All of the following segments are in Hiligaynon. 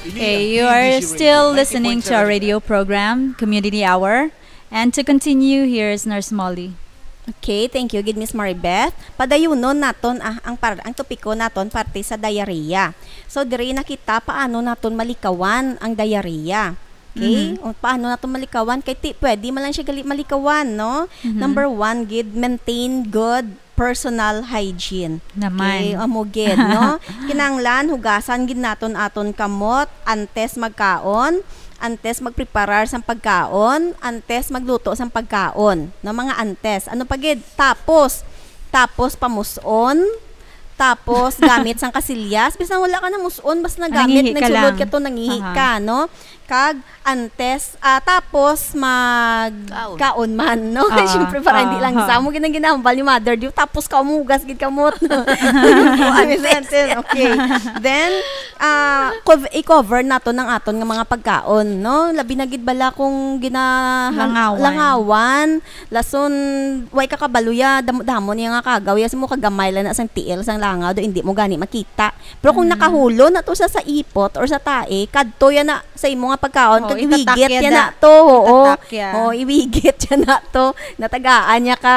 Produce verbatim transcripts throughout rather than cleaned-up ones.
Okay, you are still listening to our radio program, Community Hour. And to continue, here is Nurse Molly. Okay, thank you gid, Miss Maribeth. Padayunon naton, ah, ang par-, ang topiko naton parte sa diarrhea. So, diri na kita paano naton malikawan ang diarrhea. Okay? Mhm. O, paano naton malikawan? Kay ti-, pwede man lang siya gali malikawan, no? Mhm. Number one gid, maintain good personal hygiene. Naman. Okay, amo gid, no? Kinahanglan hugasan gid naton aton kamot antes magkaon, antes magpreparar sang pagkaon, antes magluto sang pagkaon, no, mga antes. Ano pa gid? Tapos, tapos pamus-on, tapos gamit sang kasilyas, bisan wala ka namus-on, basta nagamit, nangihi ka nagsulod lang. Ka to, nangihi Aha. Ka, no? Kag antes, ah, tapos mag Kaon. Kaon man, no? Ah, Siyempre, para hindi ah, lang ah. Sa mo ginang ginahambal ni mother, di, tapos ka umugas gid kamot. Antes. Antes, okay. Then, ah, cov-, i-cover nato ng aton nga mga pagkaon, no? Labi na gid bala kung gina-, Langawan. Langawan, lason, way ka kabalo ya, damo-damo niya nga kagaw, ya, sa mo kagamay lang na sang tiil, sang langaw, do hindi mo gani makita. Pero kung Mm. Nakahulo na to sa, sa ipot or sa tae, kadto yan na sa imo nga pagkaon, Oo, kag itatak iwigit yan yan na da. To, oo. Itatak yan. Oo, iwigit yan na to. Natagaan niya ka,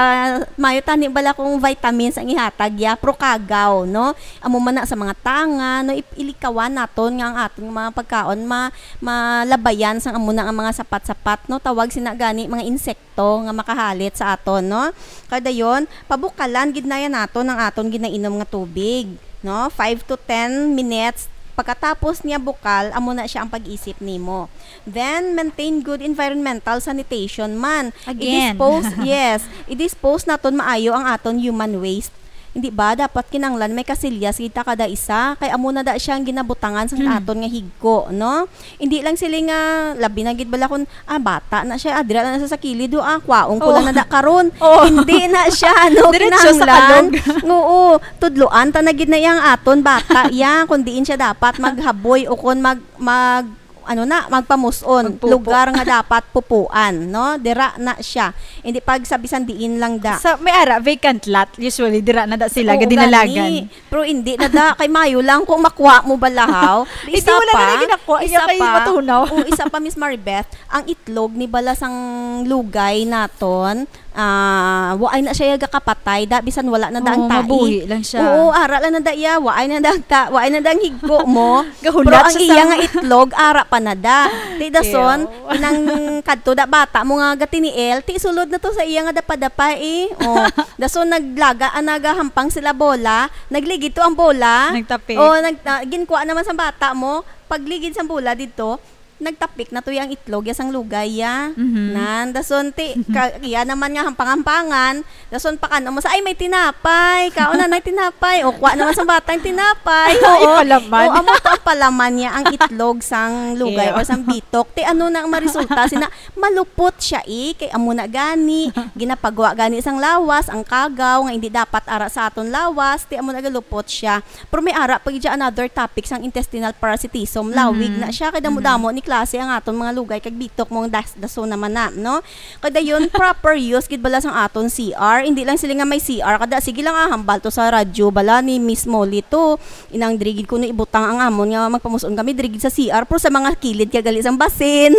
mayo tani bala kung vitamins ang ihatag ya, pero kagaw, no? Amo man na sa mga tanga, no? I-, ilikawan naton nga ang aton mga pagkaon ma-, malabayan sang amo na nga mga sapat-sapat, no? Tawag sina gani mga insekto nga makahalit sa aton, no? Kadayon, pabukalan gid na yan naton ang aton ginainom nga tubig, no? Five to ten minutes. Pagkatapos niya bukal, amo na siya ang pag-isip nimo. Then, maintain good environmental sanitation man. Again. I-dispose, yes, i-dispose naton maayo ang aton human waste. Hindi ba? Dapat kinanglan may kasilyas kita kada isa. Kay amo na da siya ang ginabutangan sa Mm. Aton nga higko, no? Hindi lang sila nga, labi na gid bala kung, ah, bata na siya, ah, dira na siya sa kilid, oh, ah, kwaon ko Oo. Lang na da karon. Oo. Hindi na siya, no? Diretso sa kinahanglan. Kalog. Oo, tudloan ta na gid na yang aton bata, ya, kung diin siya dapat maghaboy o kung mag, mag, ano na, magpamuson. Magpupo. Lugar nga dapat pupuan, no? Dira na siya. Hindi pag sa bisan diin lang da. Sa, may ara, vacant lot, usually, dira na da sila, Oo, gadinalagan. Gani. Pero hindi na da, kay mayo lang kung makuha mo balahaw. Hindi, isa wala pa, na lagi nakuha. Isa Iya kay pa, matunaw. O, isa pa, Miss Maribeth, ang itlog ni bala sang lugay naton, ah, waay na siya gakapatay, da, bisan wala na da ang Oo, tae. Mabuhi lang siya. Oo, ara lang na da iya, waay na da ang ta-, waay na da ang higko mo. Gahulat Pero ang siya iya sa nga itlog, ara pa na da. Di dason, Ew. Inang kadto da bata mo nga gatiniil, ti sulod na to sa iya nga dapa-dapa eh. Oh, dason naglaga, ah, nagahampang sila bola, nagligid to ang bola. Nagtapik. Oh, nag-, ah, ginkuha naman sa bata mo, pagligid sa bola dito, nagtapik na to yang itlog, ya sang lugay, ya. Mhm. Nan, dason ti, ka, iya naman nga hampang-hampangan, dason pakan mo sa, "Ay, may tinapay. Kaon na, nay tinapay." O, kuha naman sa bata yung tinapay. Ay, oo. Palaman. O, amo to ang palaman niya, ang itlog sang lugay Ew. Or sang bitok. Ti, ano na ang maresulta? Sina, malupot siya, eh. Kay amo na gani, ginapagwa gani sang lawas, ang kagaw, nga hindi dapat ara sa aton lawas. Ti, amo na galupot siya. Pero may ara pa gid siya another topic sang intestinal parasitism. Lawig Mhm. Na siya, kay damo-damo ni klase ang aton mga lugay, kag bitok mong das-, daso naman na, no? Kada yun, proper use gid bala sang aton C R. Hindi lang sila nga may C R, kada sige lang, ah, hambal to sa radyo bala ni Miss Molly to. Inang diri gid kuno ibutang ang amon nga magpamuson kami diri gid sa C R, pero sa mga kilid ka gali sang basin.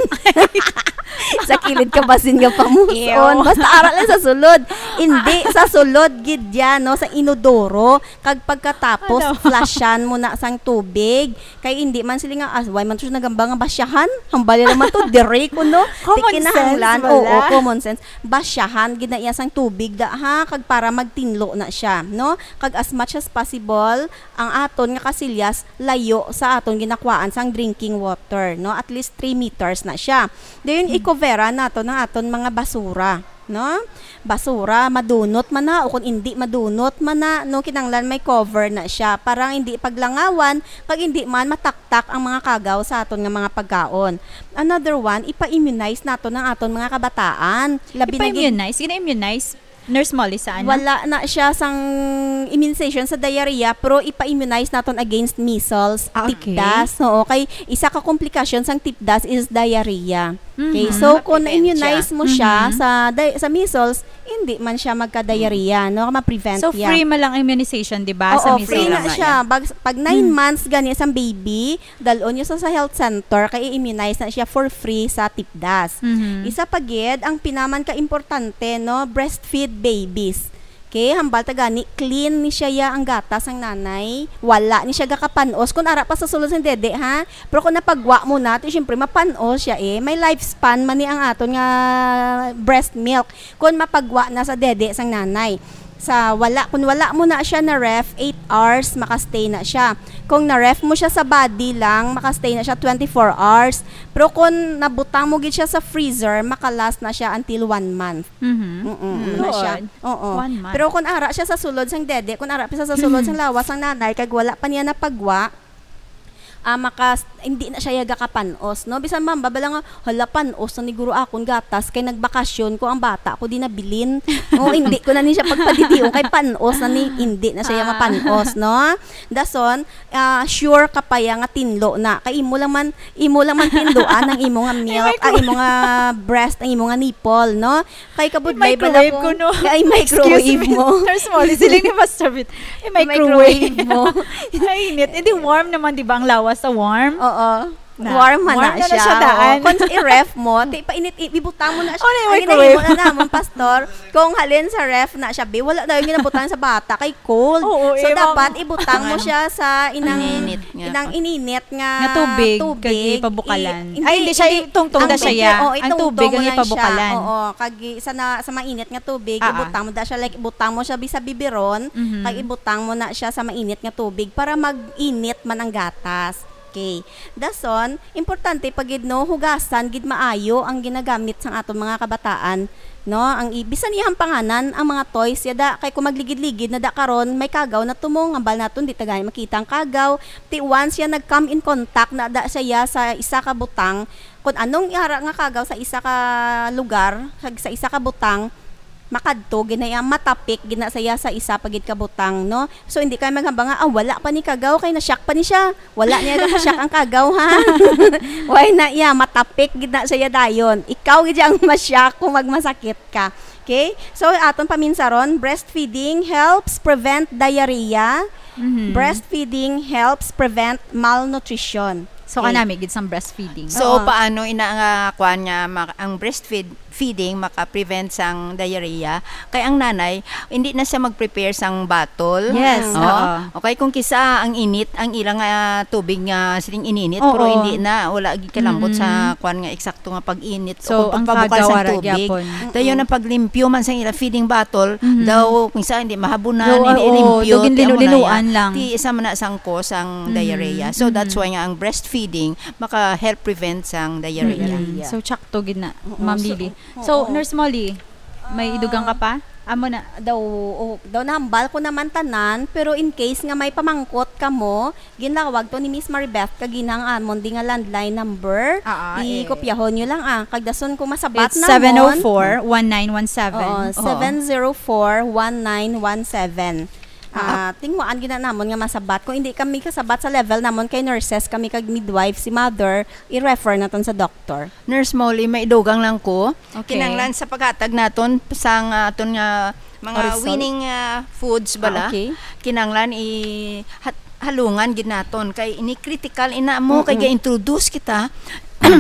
Sa kilid ka basin nga pamuson. Ew. Basta ara lang sa sulod. Hindi, sa sulod gid yan, no? Sa inodoro. Kag pagkatapos, Ano? Flushan mo na sang tubig. Kay hindi man sila nga, ah, why man to siya nagamba nga basyahan? Hambali naman to, diri ko, no? Common sense, Ti kinahanglan, wala. Oo, common sense. Basyahan, gid na iya sang tubig da, ha? Kag para magtinlo na siya, no? Kag as much as possible, ang aton nga kasilyas layo sa aton ginakuhaan sang drinking water, no? At least three meters na siya. Dayon, Hmm. I-coveran nato ng aton mga basura, no? Basura, madunot man na, o kung hindi madunot man na, no, kinanglan may cover na siya para hindi paglangawan, kag hindi man mataktak ang mga kagaw sa aton nga mga pagkaon. Another one, ipa-immunize nato ng aton mga kabataan. Labi na gid Ipa-immunize? Gina-immunize? Nurse Molly, sa ano? Wala na siya sang immunization sa diarrhea, pero ipa-immunize naton against measles, Ah, okay. Tipdas. Oo, kay isa ka komplikasyon sang tipdas is diarrhea. Okay, Mhm. so kung Ma-prevent na-immunize siya. mo siya Mhm. sa di-, sa measles, hindi man siya magka-diarrhea, no? Ma-prevent So, niya. free man lang immunization, di ba? Sa Oo, measles. Free na Free na siya. siya. Bag-, pag nine Hmm. months gani sang baby, dalon niyo sa, sa health center, kay i-immunize na siya for free sa tipdas. Mhm. Isa pa gid, ang pinaman ka importante, no? Breastfeed babies. Okay, hambal ta gani, clean ni siya ya ang gatas sang nanay. Wala ni siya gakapan-os. Kung ara pa sa sulod sang dede, ha? Pero kung napagwa mo na, ti, syempre, mapan-os siya eh. May lifespan man ni ang aton nga breast milk. Kung mapagwa na sa dede sang nanay. Sa wala, kung wala mo na siya na ref, eight hours, makastay na siya. Kung na ref mo siya sa body lang, makastay na siya twenty-four hours. Pero kung nabutang mo gid siya sa freezer, makalast na siya until one month. Mhm. Mm-mm, Mm. ano na siya? Lord. Oo. One month. Pero kung ara siya sa sulod sang dede, kung ara pa siya sa sulod sang lawas sang nanay, kag wala pa niya napagwa, ah, makas-, hindi na siya yaga kapan-os, no? Bisan man, babala nga, "Hala, pan-os na ni guro akon gatas, kay nagbakasyon ko ang bata ko, di nabilin." O, hindi ko na ni siya pagpadidion, kay pan-os na ni, hindi na siya Ah. mapan-os, no? Dason, ah, sure ka pa ya nga tinlo na. Kay imo lang man, imo lang man tinloan ang imo nga milk, ang microwave. imo nga breast, ang imo nga nipple, no? Kay kabudlay bala I-microwave ko, ko, no? Ay, microwave Excuse me, mo. Nurse Molly, siling ni Pastor Bit, I-microwave. I-microwave mo. Ay, init. Eh, di warm naman, di ba, ang lawas sa warm? Oo. Na. Warm man Warm na na na siya, siya, daan. Oo. Kung i-ref mo, ti, painit, i-, ibutang mo na siya. Oh, na Ang microwave. ginahimo na namon, Pastor, kung halin sa ref na siya, bi, wala daw yung ginabutang sa bata, kay cold. Oo, So, eh, dapat ma'am. ibutang mo Ano? siya sa inang, Ininit nga. inang ininit nga Nga tubig, tubig. kag ipabukalan. I-, hindi, Ay, hindi siya, hindi. itungtong Ang na siya, tubig, ya. oh, Ang itungtong tubig, ang mo lang siya. ipabukalan. Oo, kag i-, sa na, sa mainit nga tubig, Ah, ah. ibutang mo da siya, like, ibutang mo siya bi-, sa biberon, Mhm. kag ibutang mo na siya sa mainit nga tubig para mag-init man ang gatas. Okay. Dason, importante pa gid, no, hugasan gid maayo ang ginagamit sang aton mga kabataan, no? Ang i-, bisan iyang panganan, ang mga toys, yada, kay kung magligid-ligid na da karon, may kagaw na tumong, hambal naton, di ta gani makita ang kagaw. Ti once siya nag-come in contact na da siya sa isa ka butang, kung anong ihara nga kagaw sa isa ka lugar, kag sa isa ka butang, makadto gid na iya, matapik gid na siya sa isa pa gid ka butang, no? So, hindi kayo maghambal nga, "Ah, wala pa ni kagaw, kay na-shock pa ni siya." Wala niya na-shock ang kagaw, ha? Why na iya, matapik gid na siya dayon. Ikaw gid ang ma-shock kung magmasakit ka. Okay? So, aton paminsaron, breastfeeding helps prevent diarrhea. Mhm. Breastfeeding helps prevent malnutrition. So, Okay. kanami gid sang breastfeeding. So, Oo. paano ina nga kuan nga ma-, ang breastfeed-, feeding maka-prevent sang diarrhea? Kay ang nanay, hindi na siya mag-prepare sang bottle. Yes, Oo. oo. Okay, kung kisa ang init, ang ilang, ah, tubig nga siling ininit, Oo. pero hindi na, wala gid kalambot sa Mm-mm. kuan nga eksakto nga pag-init So, o ang pagpabukal kagaw sang ara tubig. gyapon. Dayon ang paglimpyo man sang ila feeding bottle, Mhm. daw kung isa hindi mahabunan, Oo, hindi oo, limpyo, daw ti amo na ginlinu-linuan ya. lang. Ti isa man na sang cause ang Mhm. diarrhea. So, that's Mhm. why nga ang breastfeeding maka-help prevent sang diarrhea. Mm-mm. Yeah. So, tsakto gid na, Oo, Ma'am so, Lily. oo. So, Nurse Molly, may Ah. idugang ka pa? Amo na. Daw, oh, daw nahambal ko naman tanan, pero in case nga may pamangkot kamo, ginlawag to ni Miss Maribeth kagina ang amon di nga landline number. Ah, ah, eh. Ikopyahon nyo lang, ah. Kag dason kung masabat It's namon. seven oh four, one nine one seven. Oo, Oo. seven zero four, one nine one seven. Ah, Ah. tinguhaan gid na namon nga masabat. Kung hindi kami kasabat sa level namon, kay nurses kami kag midwife, si mother, i-refer naton sa doktor. Nurse Molly, may idugang lang ko. Okay. Kinahanglan sa paghatag naton sang, ah, aton nga mga Orisol? winning, ah, foods bala. Ah, okay. Kinahanglan i-, hat-, halungan gid naton kay ini critical ina mo kay Mm-mm. ga-introduce kita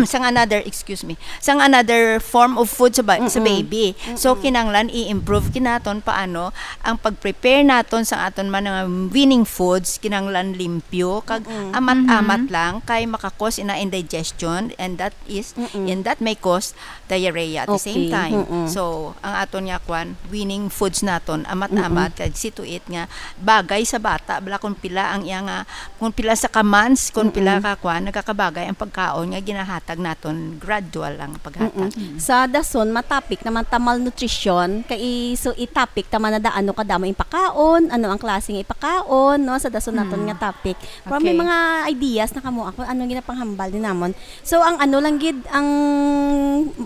sang another, excuse me, sang another form of food sa ba-, sa Mm-mm. baby. So, Mm-mm. kinahanglan i-improve gid naton paano ang pag-prepare naton sa aton man nga winning foods, kinahanglan limpyo kag Mm-mm. amat-amat Mm-hmm. lang kay maka-cause ina indigestion, and that is, Mm-mm. and that may cause diarrhea at the same Okay, time. Mm-mm. So, ang aton nga kwan, winning foods naton, amat-amat, Mm-mm. kag see to it nga bagay sa bata, bala kung pila ang iya nga, kung pila sa ka months, kung pila Mm-mm. ka kwan, nagakabagay ang pagkaon nga ginahatag naton, gradual ang paghatag. Mm-mm. Mm. Sa dason, matapik naman ta malnutrition, kay i-, so, itapik ta man na da, ano kadamo ipakaon, ano ang klase nga ipakaon, no, sa dason naton Mm. nga topic. Pero may Okay. mga ideas na kamo ako, ano ginapanghambal din namon. So, ang ano lang gid, ang,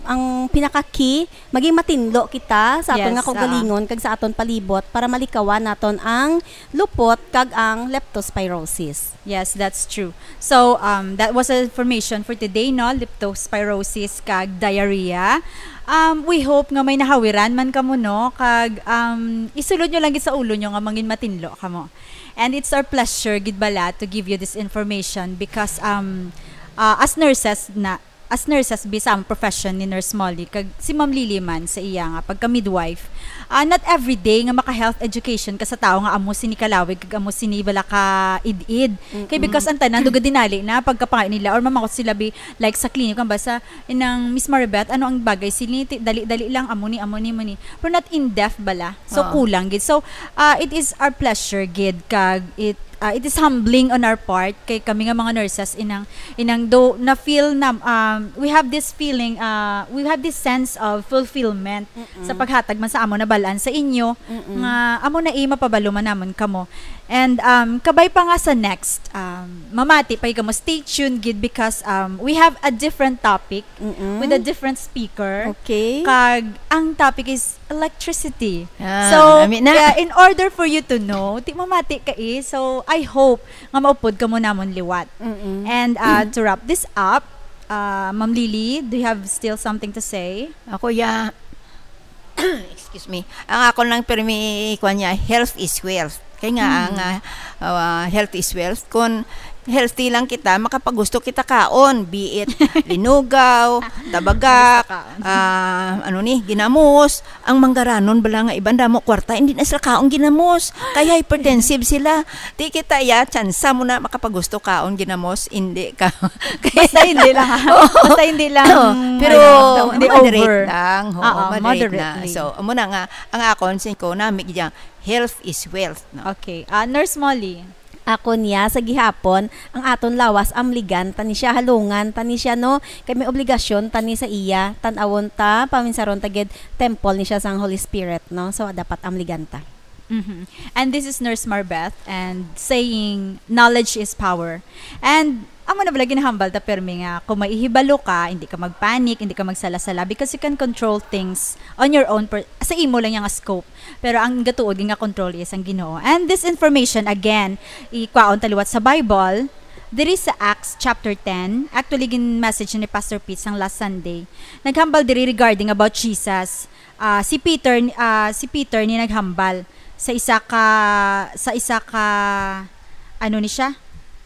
ang pinaka-key, maging matinlo kita sa aton Yes, nga kaugalingon oo. kag sa aton palibot para malikawan naton ang lupot kag ang leptospirosis. Yes, that's true. So, um, that was a information for today. no, leptospirosis kag diarrhea. Um, we hope nga may nahawiran man kamo, no, kag, um, isulod nyo lang gid sa ulo nyo nga mangin matinlo kamo. And it's our pleasure gid bala to give you this information because, um, uh, as nurses na, as nurses bi sa among profession ni Nurse Molly kag si Ma'am Lily man sa iya nga pagka midwife, ah, not every day nga maka health education ka sa tao nga amo sini kalawig kag amo sini bala ka id-id. Kay Mm-mm. Because ang tanan dugay dinali na pagkapangayo nila or mamakot sila bi, like, sa clinic, ang basa inang Miss Maribeth, ano ang bagay sini? Ti-, dali-dali lang, amo ni, amo ni, amo ni. Pero not in depth bala. So, Oo. Kulang gid. So, ah, it is our pleasure gid kag it, ah, it is humbling on our part kay kami nga mga nurses inang, inang do na feel na, um, we have this feeling, ah, we have this sense of fulfillment Mm-mm. Sa paghatag man sa amo nabal-an sa inyo Mm-mm. Nga amo na, eh, mapabalo man namon kamo. And, um, kabay pa nga sa next, um, mamati pa kamo, stay tuned gid because, um, we have a different topic Mm-mm. With a different speaker. Okay. Kag ang topic is electricity. Ah, So, nami na. Uh, in order for you to know, ti mamati ka, eh. So, I hope nga maupod kamo namon liwat. Mm-mm. And, uh, to wrap this up, uh, Ma'am Lily, do you have still something to say? Ako, ya, excuse me. Ang akon lang permi, kuwan niya, health is wealth. Kay nga, Mm. ang, ah, ah, health is wealth. Kung healthy lang kita, makapagusto kita kaon, be it linugaw, tabagak, Basta kaon. ah, ano ni, ginamos. Ang manggaranon bala nga iban damo kwarta, hindi na sila kaon ginamos. Kaya hypertensive sila. Di kita, ya, tsansa mo na makapagusto kaon ginamos, hindi ka. Basta hindi lang, ha? Oo. Basta hindi lang, Oo. Pero ano, the moderate over. lang. Oo, Oo, moderate na. Moderately. So, amo na nga, ang akon, sin ko, nami gid yang, health is wealth, no? Okay. Ah, Nurse Molly. Ako niya, sa gihapon, ang aton lawas, amligan, tani siya, halungan, tani siya, no? Kay may obligasyon, tani sa iya, tan-awon ta, paminsaron ta gid, temple ni siya sang Holy Spirit, no? So, dapat amligan ta. Mhm. And this is Nurse Marbeth, and saying, "Knowledge is power." And amo na bala ginahambal ta, permi nga, kung may ihibalo ka, hindi ka magpanic, hindi ka magsala-sala, because you can control things on your own, per-, sa imo lang yang scope. Pero ang gatuod nga control is ang Ginoo. And this information, again, ikwaon ta liwat sa Bible, diri sa Acts chapter ten, actually, gin-message ni Pastor Pete sang last Sunday. Naghambal diri regarding about Jesus. Ah, si Peter, ah, si Peter ni naghambal sa isa ka, sa isa ka, ano ni siya?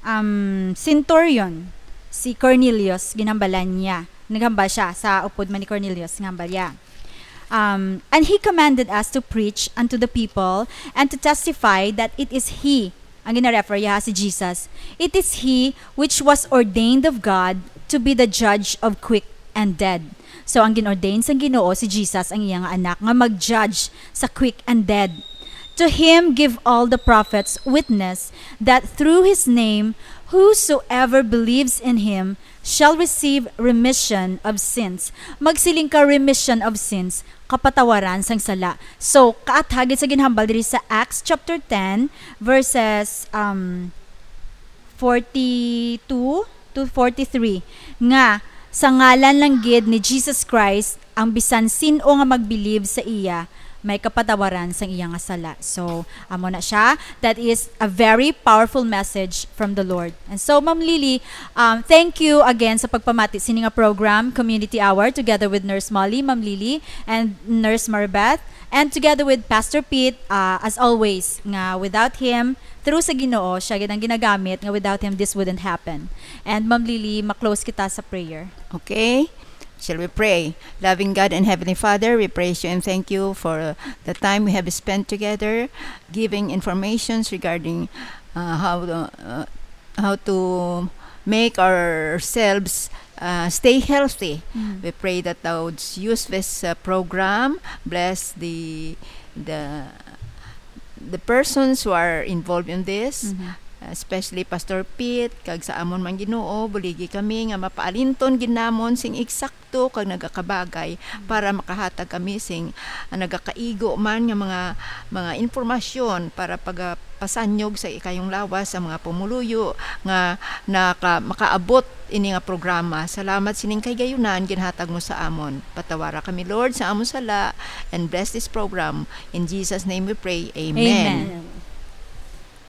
Um, centurion, si Cornelius, ginhambalan niya. Naghambal siya sa upod man ni Cornelius, ginhambal niya. Um, "And he commanded us to preach unto the people and to testify that it is he," ang gina-refer niya si Jesus, "it is he which was ordained of God to be the judge of quick and dead." So, ang gin-ordain sang Ginoo si Jesus, ang iya nga anak, nga mag-judge sa quick and dead. "To him give all the prophets witness that through his name whosoever believes in him shall receive remission of sins." Magsiling ka, remission of sins, kapatawaran sang sala. So, kaathagid sa ginhambal diri sa Acts chapter ten, verses, um, forty-two to forty-three, nga sa ngalan lang gid ni Jesus Christ, ang bisan sin-o nga magbilib sa iya may kapatawaran sang iya nga sala. So, amo na siya. That is a very powerful message from the Lord. And so, Ma'am Lily, um, thank you again sa pagpamati sini nga program, Community Hour, together with Nurse Molly, Ma'am Lily, and Nurse Marbeth, and together with Pastor Pete, uh, as always, nga without him, through sa Ginoo, siya gid ang ginagamit, nga without him, this wouldn't happen. And Ma'am Lily, ma-close kita sa prayer. Okay. Shall we pray? Loving God and Heavenly Father, we praise you and thank you for the time we have spent together, giving informations regarding, uh, how to, uh, how to make ourselves, uh, stay healthy. Mm. We pray that thou would use this, uh, program, bless the, the, the persons who are involved in this, Mhm. especially Pastor Pete, kag sa amon man Ginoo, buligi kami nga mapaalinton gid namon sing eksakto kag nagakabagay para makahatag kami sing, ah, nagakaigo man nga mga, mga impormasyon para pagapasanyog sa ikayong lawas sa mga pumuluyo nga naka-, makaabot ini nga programa. Salamat sining kahigayunan ginhatag mo sa amon. Patawara kami, Lord, sa amon sala, and bless this program. In Jesus' name we pray. Amen. Amen.